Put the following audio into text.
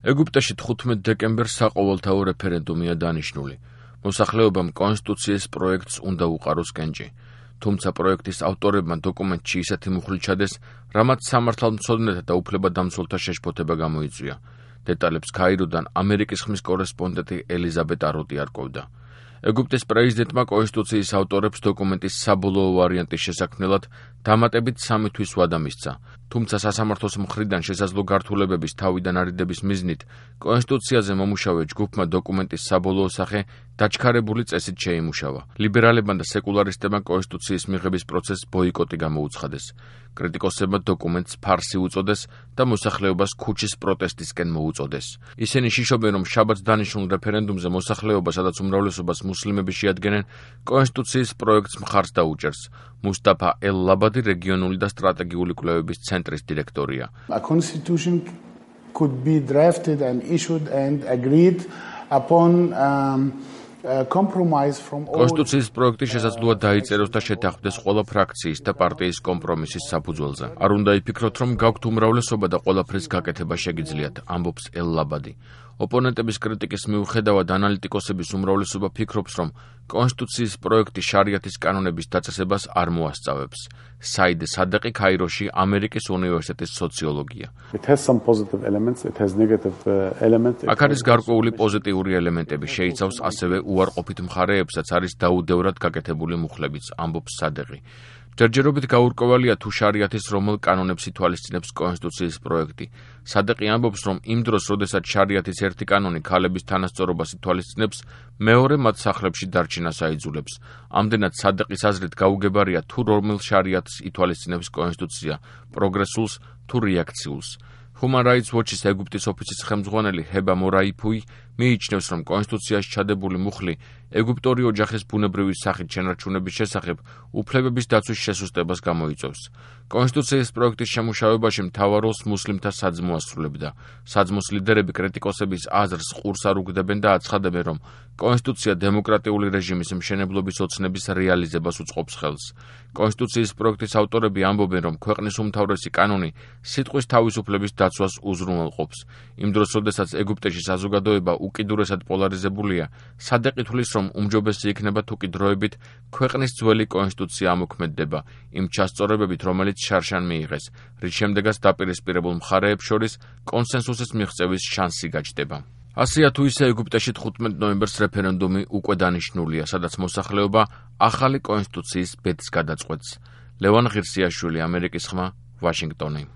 ეგვიპტეში 15 დეკემბერს საყოველთაო რეფერენდუმია დანიშნული. მოსახლეობამ კონსტიტუციის პროექტს უნდა უყაროს კენჭი. თუმცა პროექტის ავტორებმა დოკუმენტში ისეთი მუხლი ჩადეს, რამაც სამართალმცოდნეთა და უფლებადამცველთა შეშფოთება გამოიწვია. დეტალებს ქაიროდან ამერიკის ხმის კორესპონდენტი ელიზაბეტ აროტი არკვევდა. ეგვიპტის პრეზიდენტმა კონსტიტუციის ავტორებს დოკუმენტის საბოლოო ვარიანტის შესაქმნელად დამატებით 3 თვის ვადა მისცა. თუმცა სასამართლოს მხრიდან შესაძლო გართულებების თავიდან არიდების მიზნით კონსტიტუციაზე მომუშავე ჯგუფმა დოკუმენტის საბოლოო სახე დაჩქარებული წესით შეიმუშავა. ლიბერალებმა და სეკულარისტებმა კონსტიტუციის მიღების პროცესს ბოიკოტი გამოუცხადეს. კრიტიკოსებმა დოკუმენტს ფარსი უწოდეს და მოსახლეობას ქუჩის პროტესტისკენ მოუწოდეს. ისინი შიშობენ, რომ შაბათს დანიშნულ რეფერენდუმზე მოსახლეობა, სადაც უმრავლესობას მუსლიმები შეადგენენ, კონსტიტუციის პროექტს მხარს დაუჭერს. მუსტაფა ელ-ლაბადი რეგიონული და სტრატეგიული კვლევების ცენტრის დირექტორია. A constitution could be drafted and issued and agreed upon compromise from all. კონსტიტუციის პროექტი შესაძლოა დაიწეროს და შეთანხმდეს ყველა ფრაქციის და პარტიის კომპრომისის საფუძველზე. არ უნდა იფიქროთ, რომ გაქვთ უმრავლესობა და ყველაფრის გაკეთება შეგიძლიათ, ამბობს ელ-ლაბადი. ოპონენტების კრიტიკის მიუხედავად ანალიტიკოსების უმრავლესობა ფიქრობს, რომ კონსტიტუციის პროექტი შარიათის კანონების დაწესებას არ მოასწავებს. საიდ სადეყი ქაიროში ამერიკის უნივერსიტეტის სოციოლოგია. It has some positive elements, it has negative elements. აქ არის გარკვეული პოზიტიური ელემენტები, შეიცავს ასევე უარყოფით მხარეებსაც არის დაუდევრად გაკეთებული მუხლებიც, ამბობს სადეყი. ჯერჯერობით გაურკვევალია თუ შარიათის რომელ კანონებს ითვალისწინებს კონსტიტუციის პროექტი. სადეყი ამბობს, რომ იმ დროს, როდესაც შარიათის ერთი კანონი ქალების თანასწორობას ითვალისწინებს, მეორე მათ სახლებში დარჩენას აიძულებს. ამდენად სადეყის აზრით გაუგებარია თუ რომელ შარიათს ითვალისწინებს კონსტიტუცია, პროგრესულს თუ რეაქციულს. Human Rights Watch-ის ეგვიპტის ოფისის ხელმძღვანელი ჰება მორაიფუი მიიჩნევს, რომ კონსტიტუციაში ჩადებული მუხლი ეგვიპტური ოჯახის ბუნებრივი სახით შენარჩუნების შესახებ უფლებების დაცვის შესუსტებას გამოიწვევს. კონსტიტუციის პროექტის შემუშავებაში მთავარ როლს მუსლიმთა საძმო ასრულებდა. საძმოს ლიდერები კრიტიკოსების აზრს ყურს არ უგდებენ და აცხადებენ, რომ კონსტიტუცია დემოკრატიული რეჟიმის მშენებლობის ოცნების რეალიზებას უწყობს ხელს. კონსტიტუციის პროექტის ავტორები ამბობენ, რომ ქვეყნის უმთავრესი კანონი სიტყვის თავისუფლების დაცვას უზრუნველყოფს. იმ დროს, როდესაც ეგვიპტეში საზოგადოება უკიდურესად პოლარიზებულია, სადეყი თვლის, რომ უმჯობესი იქნება თუ კი დროებით ქვეყნის ძველი კონსტიტუცია ამოქმედდება იმ ჩასწორებებით, რომელიც შარშან მიიღეს, რის შემდეგაც დაპირისპირებულ მხარეებს შორის კონსენსუსის მიღწევის შანსი გაჩნდება. ასეა თუ ისე ეგვიპტეში 15 ნოემბერს რეფერენდუმი უკვე დანიშნულია, სადაც მოსახლეობა ახალი კონსტიტუციის ბედს გადაწყვეტს. ლევან ღირსიაშვილი, ამერიკის ხმა, ვაშინგტონი.